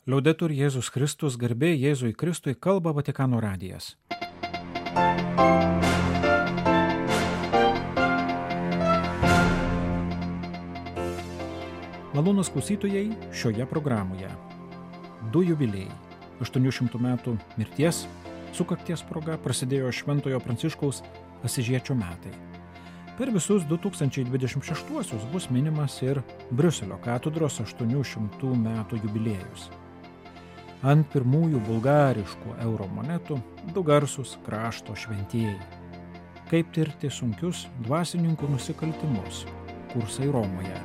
Liaudetur Jėzus Kristus, garbė Jėzui Kristui, kalba Vatikano radijas. Malonūs klausytojai, šioje programoje 2 jubiliejai. 800 metų mirties sukakties proga prasidėjo Šventojo Pranciškaus Asyžiečio metai. Per visus 2026 bus minimas ir Briuselio katedros 800 metų jubiliejus. Ant pirmųjų bulgariškų euro monetų du garsūs krašto šventieji. Kaip tirti sunkius dvasininkų nusikaltimus. Kursai Romoje.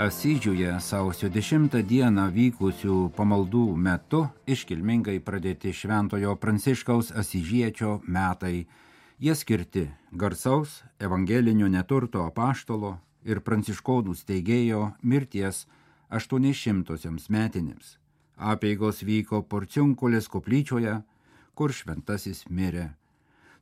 Asyžiuje sausio 10 dieną vykusių pamaldų metu iškilmingai pradėti Šventojo Pranciškaus Asyžiečio metai. Jie skirti garsaus evangelinio neturto apaštalo ir pranciškonų steigėjo mirties 800 metinėms. Apeigos vyko Porciunkulės koplyčioje, kur šventasis mirė.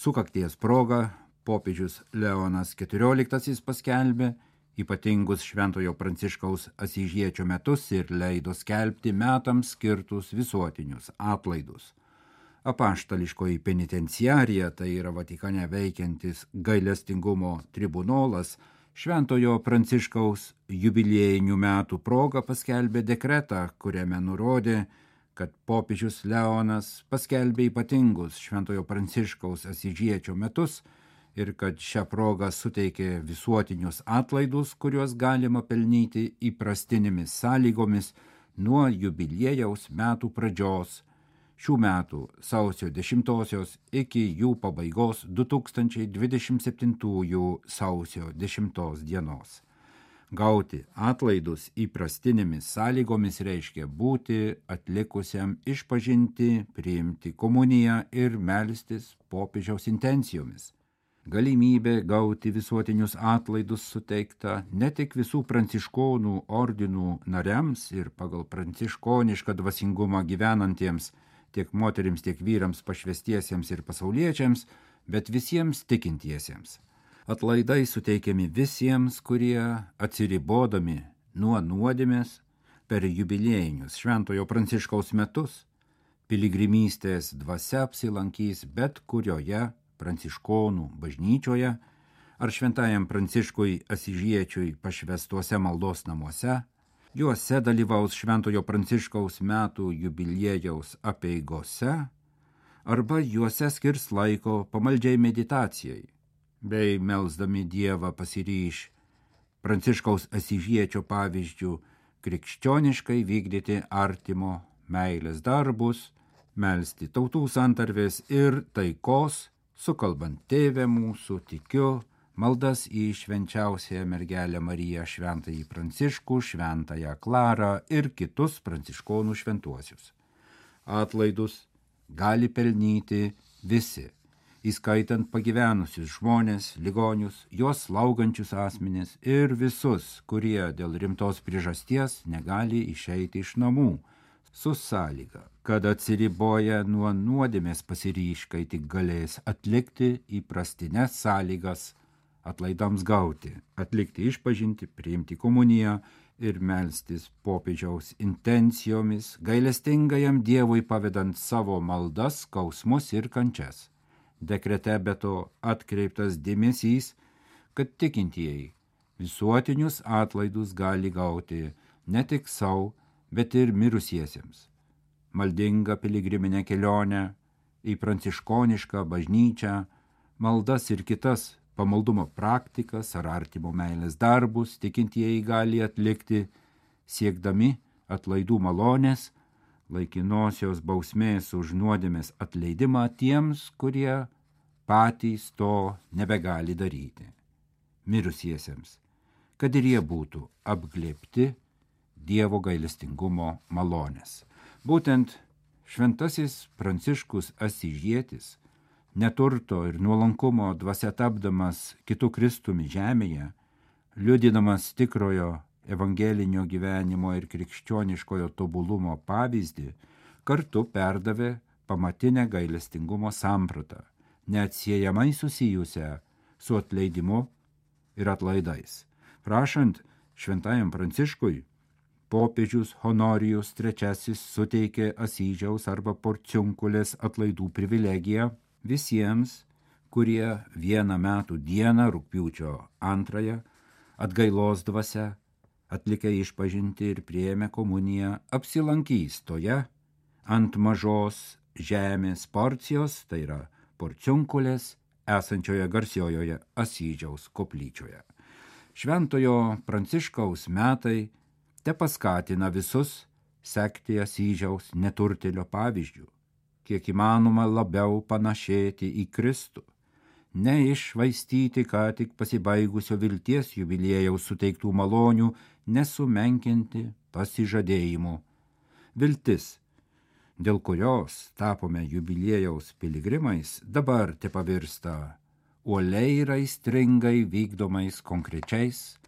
Sukakties proga popiežius Leonas XIV paskelbė ypatingus Šventojo Pranciškaus Asyžiečio metus ir leido skelbti metams skirtus visuotinius atlaidus. Apaštališkoji penitenciarija, tai yra Vatikane veikiantis gailestingumo tribunolas, Šventojo Pranciškaus jubiliejinių metų proga paskelbė dekretą, kuriame nurodė, kad popiežius Leonas paskelbė ypatingus Šventojo Pranciškaus Asyžiečio metus ir kad šią progą suteikė visuotinius atlaidus, kuriuos galima pelnyti įprastinėmis sąlygomis nuo jubiliejaus metų pradžios, šių metų sausio 10 iki jų pabaigos 2027 sausio 10 dienos. Gauti atlaidus įprastinėmis sąlygomis reiškia būti atlikusiam išpažinti, priimti komuniją ir melstis popiežiaus intencijomis. Galimybė gauti visuotinius atlaidus suteikta ne tik visų pranciškonų ordinų nariams ir pagal pranciškonišką dvasingumą gyvenantiems, tiek moterims, tiek vyrams pašvestiesiems ir pasauliečiams, bet visiems tikintiesiems. Atlaidai suteikiami visiems, kurie atsiribodami nuo nuodėmės per jubiliejinius Šventojo Pranciškaus metus piligrimystės dvasia apsilankys bet kurioje pranciškonų bažnyčioje ar Šventajam Pranciškui Asyžiečiui pašvestuose maldos namuose. Juose dalyvaus Šventojo Pranciškaus metų jubiliejaus apeigose arba juose skirs laiko pamaldžiai meditacijai, bei melsdami Dievą pasiryš Pranciškaus Asyžiečio pavyzdžių krikščioniškai vykdyti artimo meilės darbus, melsti tautų santarvės ir taikos, sukalbant Tėvę mūsų, tikiu, maldas į švenčiausiąją mergelę Mariją, šventąjį Pranciškų, šventąją Klarą ir kitus pranciškonų šventuosius. Atlaidus gali pelnyti visi, įskaitant pagyvenusius žmonės, ligonius, juos slaugančius asmenis ir visus, kurie dėl rimtos priežasties negali išeiti iš namų, su sąlyga, kad atsiriboja nuo nuodėmės pasiryš, kai tik galės atlikti įprastines sąlygas atlaidams gauti, atlikti išpažinti, priimti komuniją ir melstis popiežiaus intencijomis, gailestingajam Dievui pavedant savo maldas, skausmus ir kančias. Dekrete be to atkreiptas dėmesys, kad tikintieji visuotinius atlaidus gali gauti ne tik savo, bet ir mirusiesiems. Maldinga piligriminė kelionė į pranciškonišką bažnyčią, maldas ir kitas pamaldumo praktikas ar artimo meilės darbus tikintieji gali atlikti, siekdami atlaidų malonės, laikinosios bausmės už nuodėmės atleidimą tiems, kurie patys to nebegali daryti. Mirusiesiems, kad ir jie būtų apglėbti Dievo gailestingumo malonės. Būtent šventasis Pranciškus Asyžietis, neturto ir nuolankumo dvasia tapdamas kitų Kristumi žemėje, liudydamas tikrojo evangelinio gyvenimo ir krikščioniškojo tobulumo pavyzdį, kartu perdavė pamatinę gailestingumo sampratą, neatsiejamai susijusią su atleidimu ir atlaidais. Prašant šventajam Pranciškui, popiežius Honorijus III suteikė Asyžiaus arba Porciunkulės atlaidų privilegiją visiems, kurie vieną metų dieną rugpjūčio 2 atgailos dvasia, atlikę išpažintį ir priėmę komuniją, apsilankys toje ant mažos žemės porcijos, tai yra Porciunkulės, esančioje garsiojoje Asyžiaus koplyčioje. Šventojo Pranciškaus metai tepaskatina visus sekti Asyžiaus neturtėlio pavyzdžių, kiek įmanoma labiau panašėti į Kristų, neiššvaistyti ką tik pasibaigusio vilties jubiliejaus suteiktų malonių, nesumenkinti pasižadėjimų. Viltis, dėl kurios tapome jubiliejaus piligrimais, dabar tepavirsta uoliai ir aistringai vykdomais konkrečiais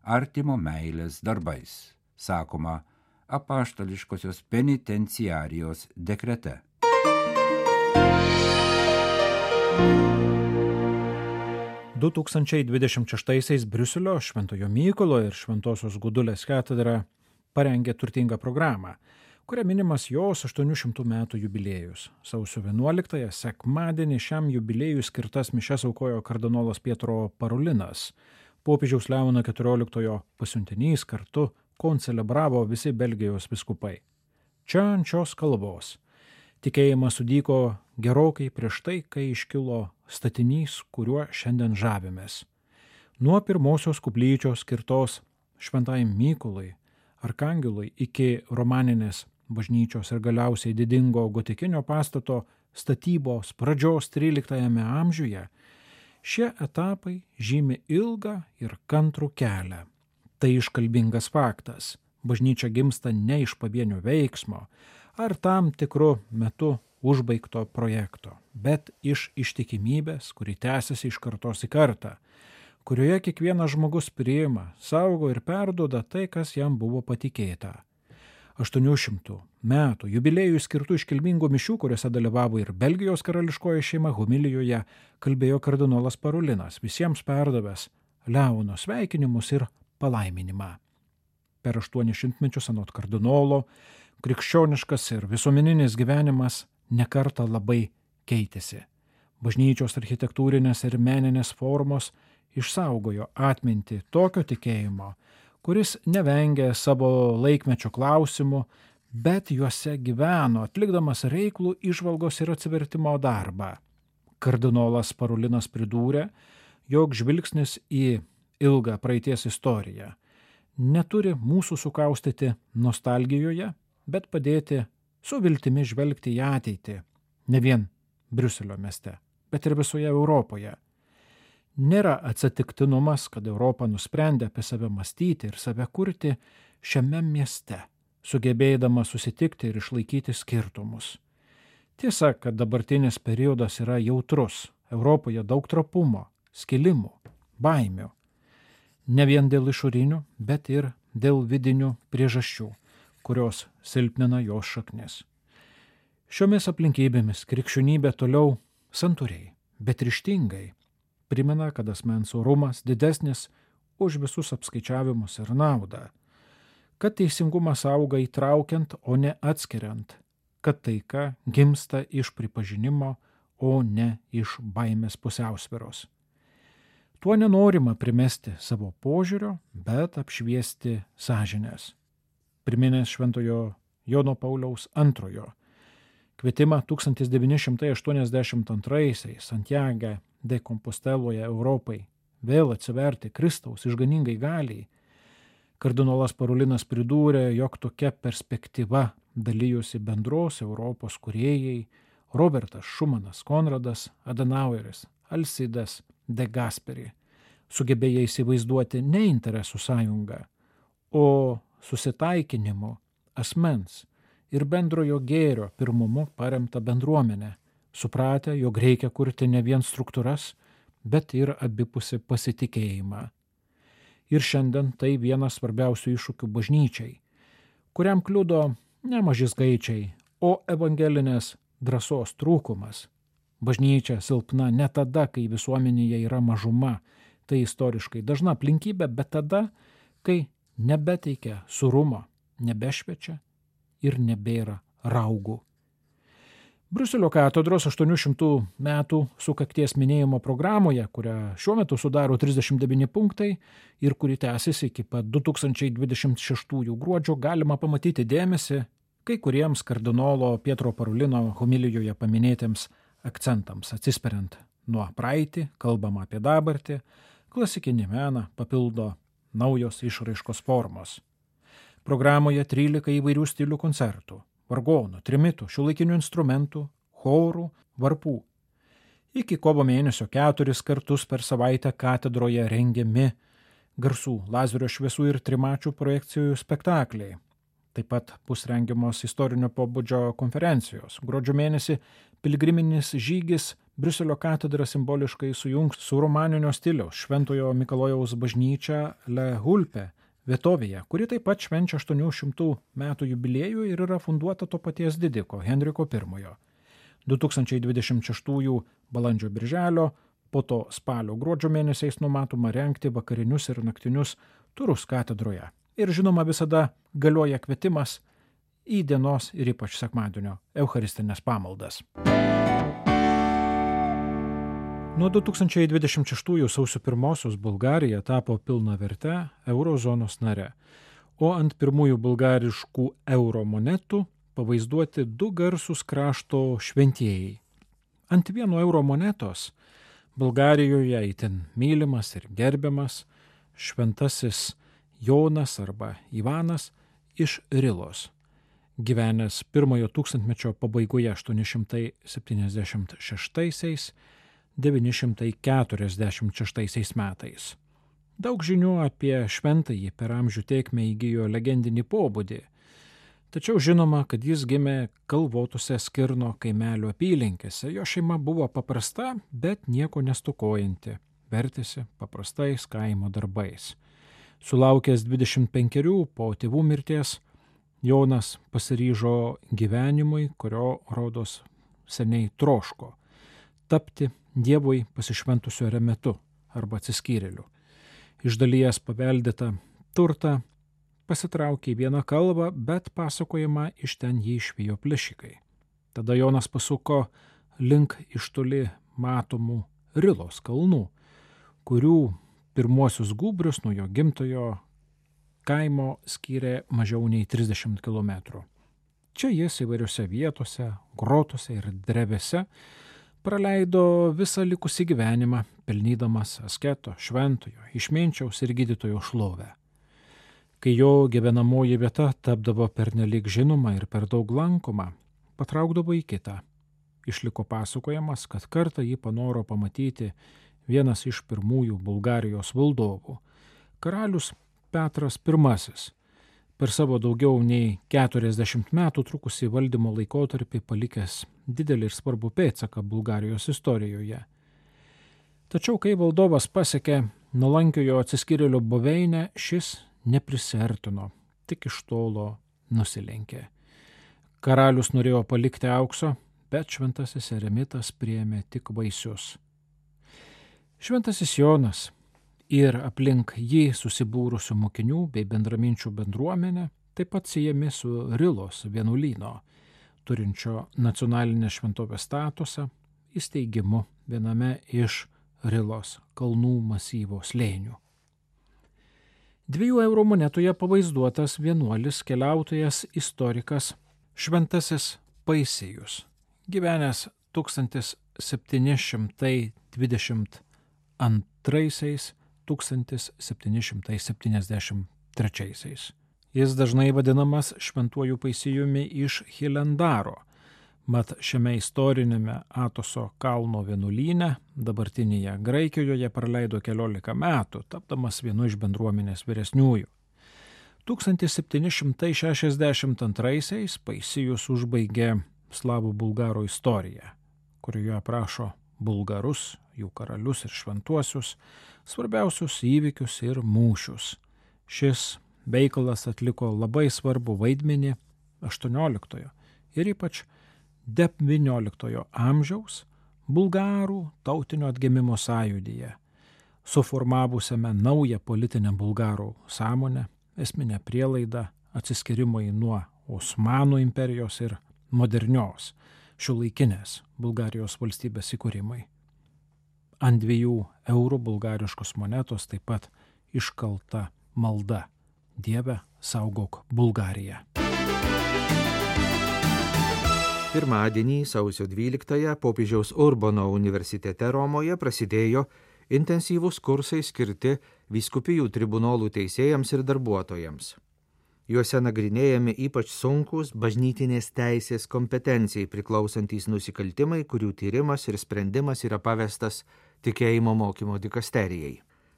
artimo meilės darbais, sakoma apaštališkosios penitenciarijos dekrete. – 2026 Briuselio Šventojo Mykolo ir Šventosios Gudulės katedra parengė turtingą programą, kuria minimas jos 800 metų jubiliejus. Sausio 11 sekmadienį šiam jubiliejui skirtas mišias aukojo kardinolas Pietro Parolinas. Popiežiaus Leono XIV pasiuntinys kartu koncelebravo visi Belgijos vyskupai. Čia ant šios kalbos tikėjimas sudyko gerokai prieš tai, kai iškilo statinys, kuriuo šiandien žavimės. Nuo pirmosios koplyčios skirtos Šventajam Mykolui, Arkangelui iki romaninės bažnyčios ir galiausiai didingo gotikinio pastato statybos pradžios 13 amžiuje, šie etapai žymi ilgą ir kantrų kelią. Tai iškalbingas faktas. Bažnyčia gimsta ne iš pavienio veiksmo ar tam tikru metu užbaigto projekto, bet iš ištikimybės, kuri tęsiasi iš kartos į kartą, kurioje kiekvienas žmogus priima, saugo ir perduoda tai, kas jam buvo patikėta. 800 metų jubiliejui skirtų iškilmingų mišių, kuriuose dalyvavo ir Belgijos karališkoji šeima, homilijoje kalbėjo kardinolas Parolinas, visiems perdavęs Leono sveikinimus ir palaiminimą. Per 800 mečius anot kardinolo krikščioniškas ir visuomeninis gyvenimas nekartą labai keitėsi. Bažnyčios architektūrinės ir meninės formos išsaugojo atmintį tokio tikėjimo, kuris nevengė savo laikmečio klausimų, bet juose gyveno, atlikdamas reiklų įžvalgos ir atsivertimo darbą. Kardinolas Parolinas pridūrė, jog žvilgsnis į ilgą praeities istoriją neturi mūsų sukaustyti nostalgijoje, bet padėti su viltimi žvelgti į ateitį, ne vien Briuselio mieste, bet ir visoje Europoje. Nėra atsitiktinumas, kad Europa nusprendė apie save mąstyti ir save kurti šiame mieste, sugebėdama susitikti ir išlaikyti skirtumus. Tiesa, kad dabartinis periodas yra jautrus, Europoje daug trapumo, skilimų, baimių. Ne vien dėl išorinių, bet ir dėl vidinių priežasčių, kurios silpnina jos šaknis. Šiomis aplinkybėmis krikščionybė toliau santūriai, bet ryžtingai primena, kad asmens orumas didesnis už visus apskaičiavimus ir naudą, kad teisingumas auga įtraukiant, o ne atskiriant, kad taika gimsta iš pripažinimo, o ne iš baimės pusiausvyros. Tuo nenorima primesti savo požiūrio, bet apšviesti sąžinės. Priminęs Šventojo Jono Pauliaus II kvietimą 1982 Santiage de Composteloje Europai vėl atsiverti Kristaus išganingai galiai, kardinolas Parolinas pridūrė, jog tokia perspektyva dalijosi bendros Europos kūrėjai Robertas Šumanas, Konradas Adenaueris, Alcidas de Gasperi, sugebėję įsivaizduoti ne interesų sąjungą, o susitaikinimu, asmens ir bendrojo gėrio pirmumu paremtą bendruomenę, supratę, jog reikia kurti ne vien struktūras, bet ir abipusį pasitikėjimą. Ir šiandien tai vienas svarbiausių iššūkių bažnyčiai, kuriam kliudo ne maži skaičiai, o evangelinės drąsos trūkumas, Bažnyčia silpna ne tada, kai visuomenėje yra mažuma, tai istoriškai dažna aplinkybė, bet tada, kai nebeteikia surumo, nebešviečia ir nebėra raugų. Briuselio katedros 800 metų sukakties minėjimo programoje, kurią šiuo metu sudaro 39 punktai ir kuri tęsiasi iki pat 2026 gruodžio, galima pamatyti dėmesį kai kuriems kardinolo Pietro Parulino homilijoje paminėtiems akcentams, atsispiriant nuo praeitį, kalbama apie dabartį, klasikinį meną papildo naujos išraiškos formos. Programoje 13 įvairių stilių koncertų, vargonų, trimitų, šiuolaikinių instrumentų, chorų, varpų. Iki kovo mėnesio 4 kartus per savaitę katedroje rengiami garsų, lazerio šviesų ir trimačių projekcijų spektakliai. Taip pat bus rengiamos istorinio pobūdžio konferencijos. Gruodžio mėnesį piligriminis žygis Briuselio katedra simboliškai sujungs su romaninio stiliaus Šventojo Mikalojaus bažnyčia Le Hulpe vietovėje, kuri taip pat švenčia 800 metų jubiliejų ir yra funduota to paties didiko Henriko I. 2026 balandžio birželio, po to spalio gruodžio mėnesiais numatoma rengti vakarinius ir naktinius turus katedroje. Ir žinoma visada galioja kvietimas į dienos ir ypač sekmadienio eucharistinės pamaldas. Nuo 2026 sausio 1 Bulgarija tapo pilnaverte eurozonos nare, o ant pirmųjų bulgariškų euro monetų pavaizduoti 2 garsūs krašto šventieji. Ant vieno euro monetos Bulgarijoje itin mylimas ir gerbiamas šventasis Jonas arba Ivanas iš Rilos, gyvenęs pirmojo tūkstantmečio pabaigoje 876–946 metais. Daug žinių apie šventąjį per amžių tėkmę įgijo legendinį pobūdį, tačiau žinoma, kad jis gimė kalvotose Skirno kaimelio apylinkėse. Jo šeima buvo paprasta, bet nieko nestokojanti, vertėsi paprastais kaimo darbais. Sulaukęs 25 po tėvų mirties, Jonas pasiryžo gyvenimui, kurio rodos seniai troško – tapti Dievui pasišventusio eremetu arba atsiskyrėliu. Iš dalies paveldėtą turtą pasitraukė į vieną kalvą, bet pasakojama iš ten jį išvijo plėšikai. Tada Jonas pasuko link iš toli matomų Rilos kalnų, kurių pirmuosius gūbrius nuo jo gimtojo kaimo skyrė mažiau nei 30 km. Čia jis įvairiose vietose, grotose ir drevėse praleido visą likusį gyvenimą, pelnydamas asketo, šventojo, išminčiaus ir gydytojo šlovę. Kai jo gyvenamoji vieta tapdavo pernelyg žinoma ir per daug lankoma, patraukdavo į kitą. Išliko pasakojamas, kad kartą jį panoro pamatyti vienas iš pirmųjų Bulgarijos valdovų, karalius Petras I, per savo daugiau nei 40 metų trukusį valdymo laikotarpį palikęs didelį ir svarbų pėdsaką Bulgarijos istorijoje. Tačiau, kai valdovas pasiekė nuolankiojo atsiskyrėlio buveinę, šis neprisiartino, tik iš tolo nusilenkė. Karalius norėjo palikti aukso, bet šventasis eremitas priėmė tik vaisius. Šventasis Jonas ir aplink jį susibūrusių mokinių bei bendraminčių bendruomenė taip pat siejami su Rilos vienuolyno, turinčio nacionalinės šventovės statusą, įsteigimu viename iš Rilos kalnų masyvo slėnių. 2 eurų monetoje pavaizduotas vienuolis keliautojas istorikas Šventasis Paisijus, gyvenęs 1722–1773. Jis dažnai vadinamas šventuoju Paisijumi iš Hilendaro, mat šiame istorinėme Atoso kalno vienuolyne dabartinėje Graikijoje praleido 14 metų, tapdamas vienu iš bendruomenės vyresniųjų. 1762 Paisijus užbaigė slavų bulgarų istoriją, kurioje aprašo bulgarus, jų karalius ir šventuosius, svarbiausius įvykius ir mūšius. Šis veikalas atliko labai svarbų vaidmenį 18 ir ypač XIX amžiaus bulgarų tautinio atgimimo sąjūdyje, suformavusiame naują politinę bulgarų sąmonę, esminę prielaidą atsiskyrimui nuo Osmanų imperijos ir modernios šiuolaikinės Bulgarijos valstybės įkūrimai. Ant 2 eurų bulgariškos monetos taip pat iškalta malda: Dieve, saugok Bulgariją. Pirmadienį, sausio 12-ąją, popiežiaus Urbono universitete Romoje prasidėjo intensyvūs kursai skirti vyskupijų tribunolų teisėjams ir darbuotojams. Juose nagrinėjami ypač sunkūs bažnytinės teisės kompetencijai priklausantys nusikaltimai, kurių tyrimas ir sprendimas yra pavestas tikėjimo mokymo dikasterijai.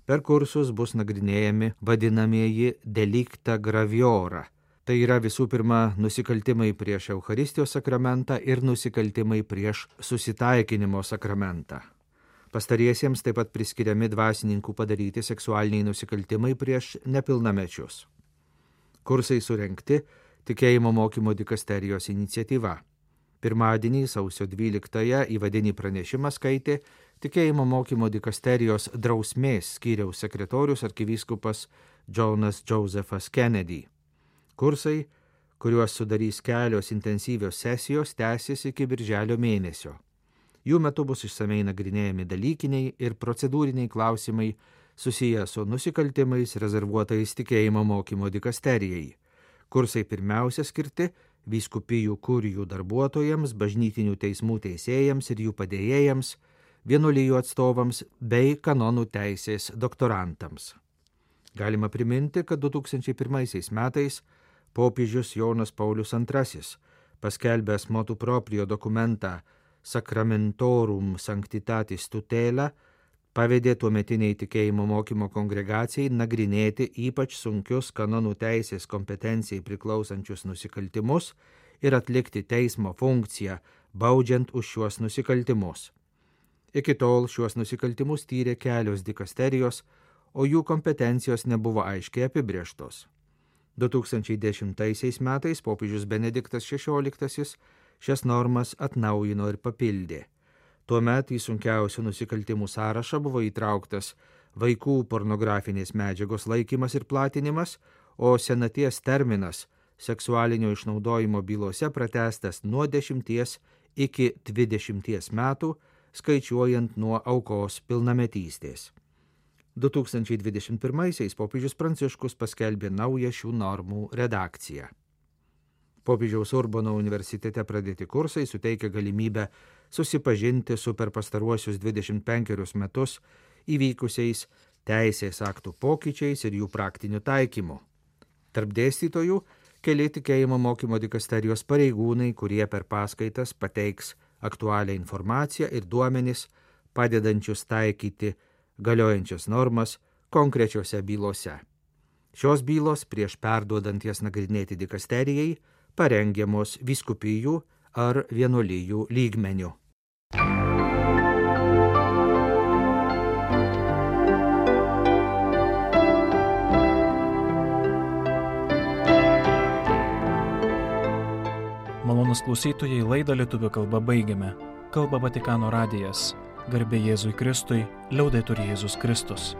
Per kursus bus nagrinėjami vadinamieji delicta graviora. Tai yra visų pirma nusikaltimai prieš Eucharistijos sakramentą ir nusikaltimai prieš susitaikinimo sakramentą. Pastariesiems taip pat priskiriami dvasininkų padaryti seksualiniai nusikaltimai prieš nepilnamečius. Kursai surengti tikėjimo mokymo dikasterijos iniciatyva. Pirmadienį, sausio 12-ąją, įvadinį pranešimą skaitė tikėjimo mokymo dikasterijos drausmės skyriaus sekretorius arkivyskupas Jonas Josephas Kennedy. Kursai, kuriuos sudarys kelios intensyvios sesijos, tęsis iki birželio mėnesio. Jų metu bus išsamei nagrinėjami dalykiniai ir procedūriniai klausimai susiję su nusikaltimais rezervuotais tikėjimo mokymo dikasterijai. Kursai pirmiausia skirti vyskupijų kurijų darbuotojams, bažnytinių teismų teisėjams ir jų padėjėjams, vienuolijų atstovams bei kanonų teisės doktorantams. Galima priminti, kad 2001 metais popiežius Jonas Paulius II, paskelbęs motu proprio dokumentą Sacramentorum Sanctitatis Tutela, pavedė tuometiniai tikėjimo mokymo kongregacijai nagrinėti ypač sunkius kanonų teisės kompetencijai priklausančius nusikaltimus ir atlikti teismo funkciją, baudžiant už šiuos nusikaltimus. Iki tol šiuos nusikaltimus tyrė kelios dikasterijos, o jų kompetencijos nebuvo aiškiai apibrėžtos. 2010 metais popiežius Benediktas XVI šias normas atnaujino ir papildė. Tuomet į sunkiausių nusikaltimų sąrašą buvo įtrauktas vaikų pornografinės medžiagos laikymas ir platinimas, o senaties terminas seksualinio išnaudojimo bylose pratęstas nuo 10 iki 20 metų, skaičiuojant nuo aukos pilnametystės. 2021 popiežius Pranciškus paskelbė naują šių normų redakciją. Popiežiaus Urbono universitete pradėti kursai suteikia galimybę susipažinti su per pastaruosius 25 metus įvykusiais teisės aktų pokyčiais ir jų praktiniu taikymu. Tarp dėstytojų keli tikėjimo mokymo dikasterijos pareigūnai, kurie per paskaitas pateiks aktualią informaciją ir duomenis, padedančius taikyti galiojančias normas konkrečiose bylose. Šios bylos prieš perduodant jas nagrinėti dikasterijai parengiamos vyskupijų ar vienuolijų lygmeniu. Malonūs klausytojai, laidą lietuvių kalba baigiame. Kalba Vatikano radijas. Garbė Jėzui Kristui, liaudetur Jėzus Kristus.